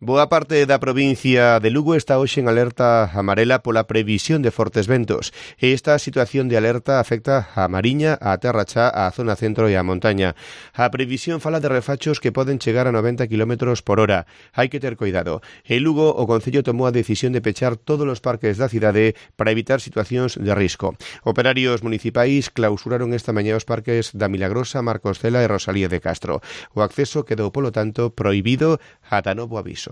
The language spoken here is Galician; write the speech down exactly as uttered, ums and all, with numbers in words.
Boa parte da provincia de Lugo está hoxe en alerta amarela pola previsión de fortes ventos. Esta situación de alerta afecta a Mariña, a Terra Chá, a zona centro e a montaña. A previsión fala de refachos que poden chegar a noventa kilómetros por hora. Hai que ter cuidado. En Lugo, o Concello tomou a decisión de pechar todos os parques da cidade para evitar situacións de risco. Operarios municipais clausuraron esta mañá os parques da Milagrosa, Marcos Cela e Rosalía de Castro. O acceso quedou, polo tanto, prohibido ata novo aviso.